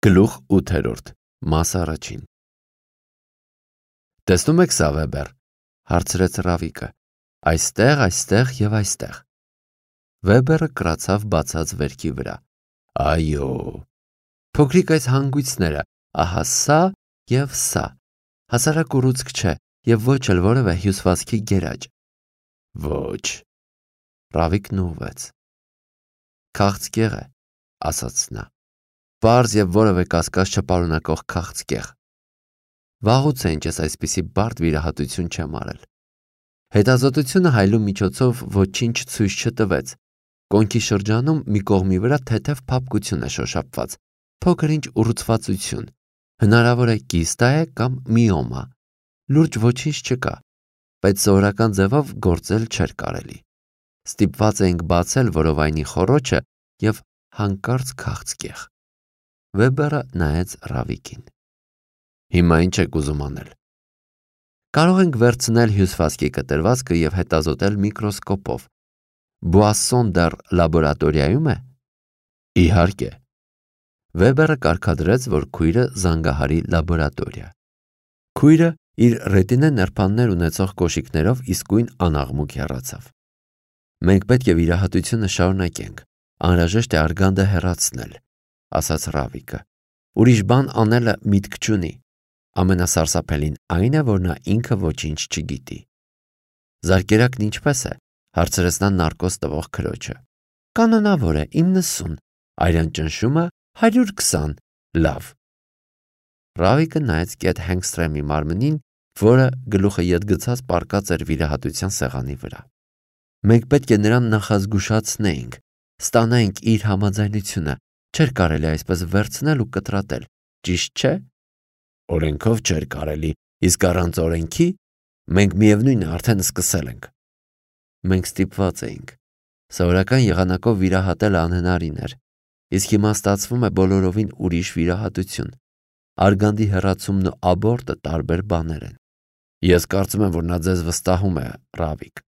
Գլուխ 8-րդ, մաս առաջին։ Տեսնում եք սա, Վեբեր, հարցրեց Ռավիկը, այստեղ և այստեղ։ Վեբերը կրացավ բացած վերքի վրա։ Այո, փոքրիկ այս հանգույցները, ահա սա և սա, հասարակ ուռուցք չէ և ոչ էլ որևէ հյուսվածքի գերաճ։ Ոչ։ Ռավիկն ուղղվեց։ Քաղցկեղ է, ասաց նա։ Պարզ և որևէ կասկած չպարունակող քաղցկեղ։ Վաղուց է ինչ ես այսպիսի բարդ վիրահատություն չեմ արել։ Հետազոտությունը հայլու միջոցով ոչինչ ցույց չտվեց։ Կոնքի շրջանում մի կողմի վրա թեթև փափկություն է շոշափված, փոքր-ինչ ուռուցվածություն, հնարավոր է կիստա է կամ միոմա։ Լուրջ ոչինչ չկա, բայց սովորական ձևով գործել չէր կարելի։ Ստիպված էինք բացել որովայնի խոռոչը և հանկարծ քաղցկեղ։ Վեբերը նայեց Ռավիկին։ Հիմա ինչ եք ուզում անել։ Կարող ենք վերցնել հյուսվածքի կտրվածքը և հետազոտել միկրոսկոպով։ Բուասսոն դեռ լաբորատորիայում է։ Իհարկե։ Վեբերը կարգադրեց, որ քույրը զանգահարի լաբորատորիա։ Քույրը իր ռետինե նրբաններ ունեցող կոշիկներով իսկույն անաղմուկ հեռացավ։ Մենք պետք է վիրահատությունը շարունակենք, անհրաժեշտ է արգանդը հեռացնել, ասաց Ռավիկը։ Ուրիշ բան անելը միտք չունի։ Ամենասարսափելին այն է, որ նա ինքը ոչինչ չգիտի։ Զարկերակն ինչպես է, հարցրեց նա նարկոս տվող քրոջը։ Կանոնավոր է 90, արյան ճնշումը 120, լավ։ Ռավիկը նայեց կետ Հենգստրեմի մարմնին, որը գլուխը ետ գցած պառկած էր վիրահատության սեղանի վրա։ Մենք պետք է նրան նախազգուշացնեինք, ստանայինք իր համաձայնությունը, չէր կարելի այսպես վերցնել ու կտրատել, ճիշտ չէ։ Օրենքով չէր կարելի, իսկ առանց օրենքի մենք միևնույն է արդեն սկսել ենք։ Մենք ստիպված էինք։ Սովորական եղանակով վիրահատելը անհնարին էր, իսկ հիմա ստացվում է բոլորովին ուրիշ վիրահատություն։ Արգանդի հեռացումն ու աբորտը տարբեր բաներ են։ Ես կարծում եմ, որ նա ձեզ վստահում է, Ռավիկ։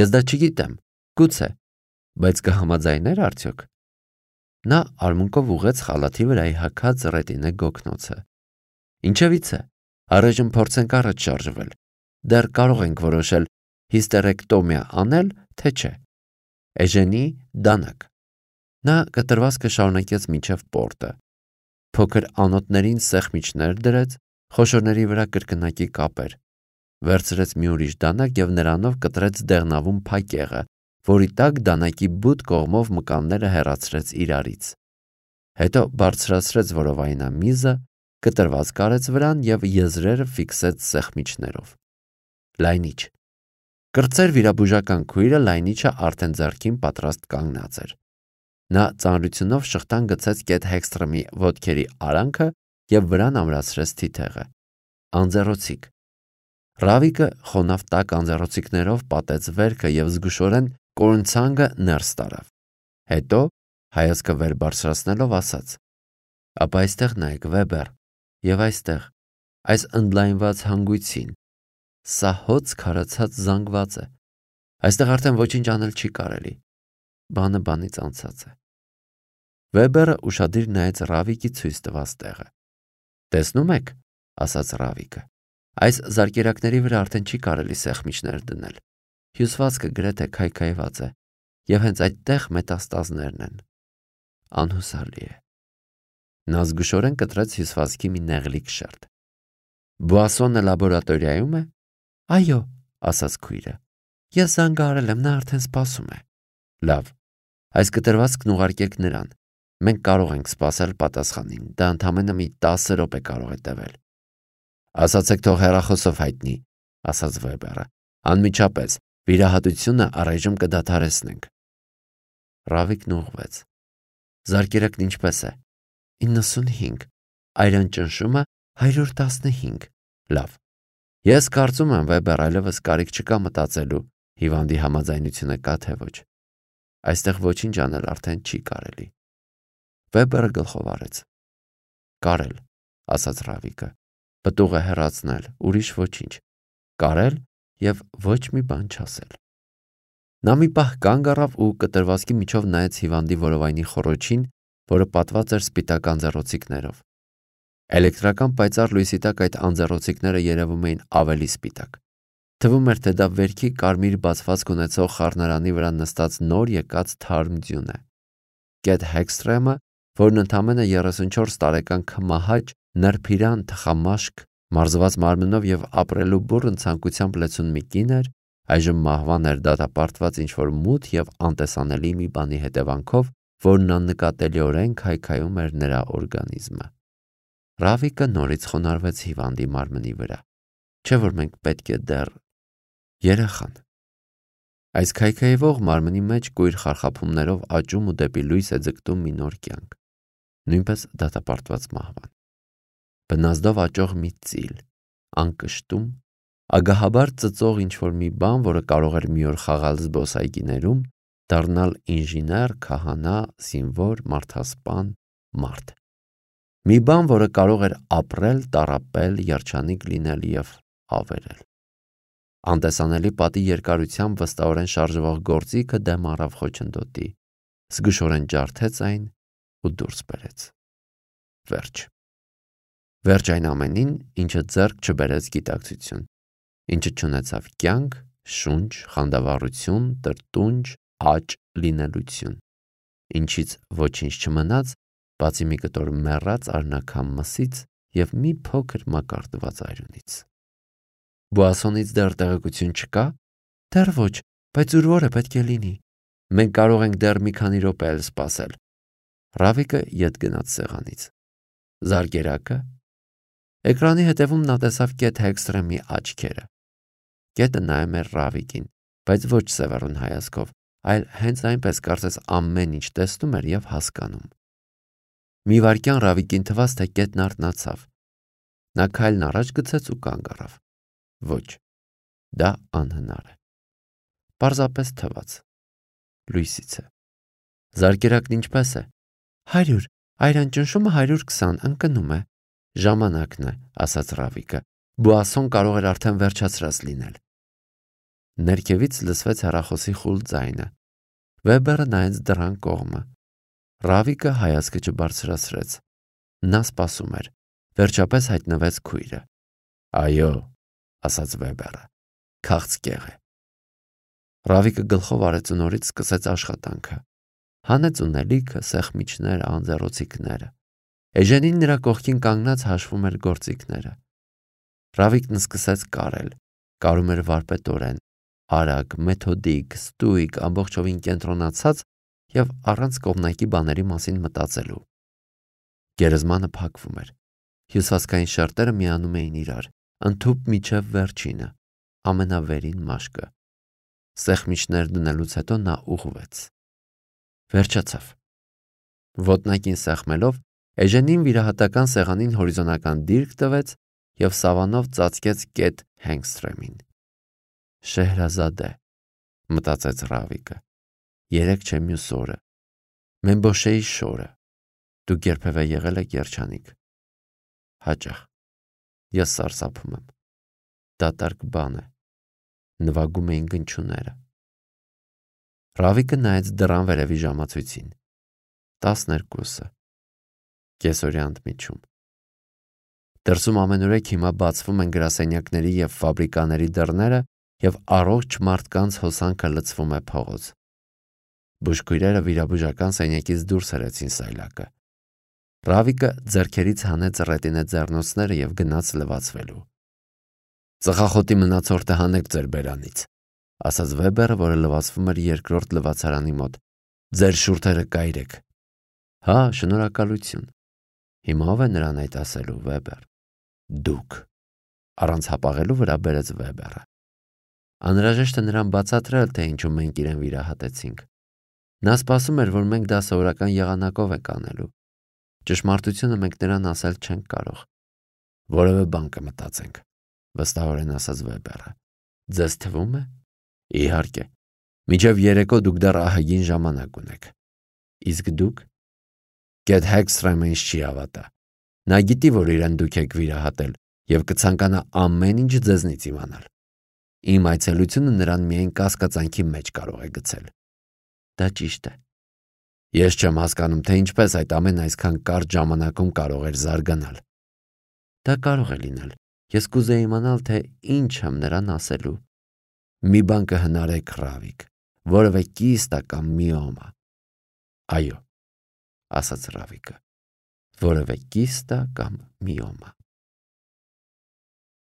Ես դա չգիտեմ, գուցե, բայց կհամաձայներ արդյոք։ Նա արմունկով ուղղեց խալաթի վրայի հագած ռետինե գոգնոցը։ Ինչևից է, առայժմ փորձենք առաջ շարժվել։ Դեռ կարող ենք որոշել հիստերեկտոմիա անել, թե չէ։ Էժենի դանակ։ Նա կտրվածքը շարունակեց մինչև պորտը։ Փոքր անոթներին սեղմիչներ դրեց, խոշորների վրա կրկնակի կապեր։ Վերցրեց մի ուրիշ դանակ և նրանով կտրեց դեղնավուն փակեղը, որի տակ դանակի բութ կողմով մկանները հեռացրեց իրարից։ Հետո բարձրացրեց որովայնամիզը, կտրված կարեց վրան և եզրերը ֆիքսեց սեղմիչներով։ Լայնիչ։ Կրտսեր վիրաբուժական քույրը լայնիչը արդեն ձեռքին պատրաստ կանգնած էր։ Նա ծանրությունով շղթան գցեց կետ Հենգստրեմի ոտքերի արանքը և վրան ամրացրեց թիթեղը։ Անձեռոցիկ։ Ռավիկը խոնավ տաք անձեռոցիկներով պատեց վերքը և զգուշորեն կորունցանգը ներս տարավ։ Հետո, հայացքը վեր բարձրացնելով, ասաց. Ապա այստեղ նայեք, Վեբեր, և այստեղ, այս ընդլայնված հանգույցին։ Սա հոծ քարացած զանգված է։ Այստեղ արդեն ոչինչ անել չի կարելի։ Բանը բանից անցած է։ Վեբերը ուշադիր նայեց Ռավիկի ցույց տված տեղը։ Տեսնում եք, ասաց Ռավիկը, այս զարկերակների վրա արդեն չի կարելի սեղմիչներ դնել։ Հյուսվածքը գրեթե քայքայված է, և հենց այդտեղ մետաստազներն են։ Անհուսալի է։ Նա զգուշորեն կտրեց հյուսվածքի մի նեղլիկ շերտ։ Բուասսոնը լաբորատորիայում է։ Այո, ասաց քույրը։ Ես զանգահարել եմ, նա արդեն սպասում է։ Լավ, այս կտրվածքն ուղարկեք նրան։ Մենք կարող ենք սպասել պատասխանին, դա ընդամենը մի 10 րոպե կարող է տևել։ Ասացեք թող հեռախոսով հայտնի, ասաց Վեբերը։ Անմիջապես, վիրահատությունը առայժմ կդադարեցնենք։ Ռավիկն ուղղվեց։ Զարկերակն ինչպես է։ 95, արյան ճնշումը 115, լավ։ Ես կարծում եմ, Վեբեր, այլևս կարիք չկա մտածելու, հիվանդի համաձայնությունը կա թե ոչ։ Այստեղ ոչինչ անել արդեն չի կարելի։ Վեբերը գլխով արեց։ Կարել, ասաց Ռավիկը, պտուղը հեռացնել, ուրիշ ոչինչ։ Կարել և ոչ մի բան չասել։ Նա մի պահ կանգ առավ ու կտրվածքի միջով նայեց հիվանդի որովայնի խոռոչին, որը պատված էր սպիտակ անձեռոցիկներով։ Էլեկտրական պայծառ լույսի տակ այդ անձեռոցիկները երևում էին ավելի սպիտակ։ Թվում էր, թե դա վերքի կարմիր բացվածք ունեցող խառնարանի վրա նստած նոր եկած թարմ ձյուն է։ Կեթ Հեքսթրեմը, որն ընդամենը 34 տարեկան քմահաճ, նրբիրան թխամաշկ, մարզված մարմնով եւ ապրելու բուռն ցանկությամբ լեցուն մի կին էր, այժմ մահվան էր դատապարտված ինչ-որ մութ եւ անտեսանելի մի բանի հետևանքով, որն աննկատելիորեն քայքայում էր նրա օրգանիզմը։ Ռավիկը նորից խոնարհվեց հիվանդի մարմնի վրա։ Չէ՞ որ մենք պետք է դեռ երեխան։ Այս քայքայվող մարմնի մեջ կույր խարխափումներով աճում ու դեպի լույս է ձգտում մի նոր կյանք, նույնպես դատապարտված մահվան։ Բնազդով աճող մի ծիլ, անկշտում, ագահաբար ծծող ինչ-որ մի բան, որը կարող էր մի օր խաղալ զբոսայգիներում, դառնալ ինժեներ, քահանա, զինվոր, մարդասպան, մարդ։ Մի բան, որը կարող էր ապրել, տառապել, երջանիկ լինել եւ ավերել։ Անտեսանելի պատի երկարությամբ վստահորեն շարժվող գործիքը դեմ առավ խոչընդոտի, զգուշորեն ջարդեց այն ու դուրս բերեց։ Վերջ այն ամենին, ինչը ձեռք չբերեց գիտակցություն, ինչը չունեցավ կյանք, շունչ, խանդավառություն, տրտունջ, աճ, լինելություն, ինչից ոչինչ չմնաց, բացի մի կտոր մեռած արնաքամ մսից եւ մի փոքր մակարդված այրունից։ Բուասոնից դեռ տեղեկություն չկա։ Դեռ ոչ, բայց ուրվոր է պետք է լինի։ Մենք կարող ենք դեռ մի քանի րոպե էլ սպասել։ Ռավիկը ետ գնաց սեղանից։ Զարկերակը։ Էկրանի հետևում նա տեսավ Կեթ Հեքսթրեմի աչքերը։ Կետը նայում էր Ռավիկին, բայց ոչ սևեռուն հայացքով, այլ հենց այնպես կարծես ամեն ինչ տեսնում էր եւ հասկանում։ Մի վայրկյան Ռավիկին թվաց, թե Կետն արթնացավ։ Նա քայլն առաջ գցեց ու կանգ առավ։ Ոչ, դա անհնար է։ Պարզապես թվաց։ Լույսից է։ Զարկերակն ինչպես է։ 100, այրան ճնշումը 120 ընկնում է։ Ժամանակն է, ասաց Ռավիկը։ Բուասոն կարող էր արդեն վերջացրած լինել։ Ներքևից լսվեց հեռախոսի խուլ ձայնը։ Վեբերը նայեց դռան կողմը։ Ռավիկը հայացքը չբարձրացրեց։ Նա սպասում էր։ Վերջապես հայտնվեց քույրը։ Այո, ասաց Վեբերը։ Քաղցկեղ է։ Ռավիկը գլխով արեց ու նորից սկսեց աշխատանքը։ Հանեց ունելիքը, սեղմիչները, անձեռոցիկները։ Էժենին նրա կողքին կանգնած հաշվում էր գործիքները։ Ռավիկն սկսեց կարել։ Կարում էր վարպետորեն, արագ, մեթոդիկ, ստույգ, ամբողջովին կենտրոնացած եւ առանց կողմնակի բաների մասին մտածելու։ Գերեզմանը փակվում էր։ Հյուսվածքային շերտերը միանում էին իրար, ընդհուպ միջև վերջինը, ամենավերին մաշկը։ Սեղմիչներ դնելուց հետո նա ուղղվեց։ Վերջացավ։ Ոտնակին սեղմելով, Էժենին վիրահատական սեղանին հորիզոնական դիրք տվեց եւ սավանով ծածկեց Կեթ Հեքսթրեմին։ Շեհրազադե, մտածեց Ռավիկը։ Երեք չէ մյուս օրը։ Մեմբոշեի շորը։ Դուք երբևէ եղել եք երջանիկ։ Հաճախ։ Ես սարսափում եմ։ Դատարկ բան է։ Նվագում էին գնչուները։ Ռավիկը նայեց դռան վերևի ժամացույցին։ 12-ը։ Կեսօրյա ընդմիջում։ Դրսում ամենուրեք հիմա բացվում են գրասենյակների եւ ֆաբրիկաների դռները եւ առողջ մարդկանց հոսանքը լցվում է փողոց։ Բուժքույրերը վիրաբուժական սենյակից դուրս հրեցին սայլակը։ Ռավիկը ձեռքերից հանեց ռետինե ձեռնոցները եւ գնաց լվացվելու։ Ծխախոտի մնացորդը հանեք ձեր բերանից, ասաց Վեբերը, որը լվացվում էր երկրորդ լվացարանի մոտ։ Ձեր շուրթերը կայրեք։ Հա, շնորհակալություն։ Հիմա ով է նրան այդ ասելու, Վեբեր։ Դուք։ Առանց հապաղելու վրա բերեց Վեբերը։ Անհրաժեշտ է նրան բացատրել, թե ինչու մենք իրեն վիրահատեցինք։ Նա սպասում էր, որ մենք դա սովորական եղանակով ենք անելու։ Ճշմարտությունը մենք նրան ասել չենք կարող։ Որևէ բան կմտածենք, վստահորեն ասաց Վեբերը։ Ձեզ թվում է։ Իհարկե։ Մինչև երեկո դուք դեռ ահագին ժամանակ ունեք։ Իսկ դուք։ Կեթ Հեքսթրեմը ինձ չի հավատա։ Նա գիտի, որ իրեն դուք եք վիրահատել եւ կցանկանա ամեն ինչ ձեզնից իմանալ։ Իմ այցելությունը նրան միայն կասկածանքի մեջ կարող է գցել։ Դա ճիշտ է։ Ես չեմ հասկանում, թե ինչպես այդ ամեն այսքան կարճ ժամանակում կարող էր զարգանալ։ Դա կարող է լինել։ Ես կուզեի իմանալ, թե ինչ եմ նրան ասելու։ Մի բան կհնարեք, Ռավիկ, որևէ կիստա կամ միոմա։ Այո, ասաց Ռավիկը, որևէ կիստա կամ միոմա։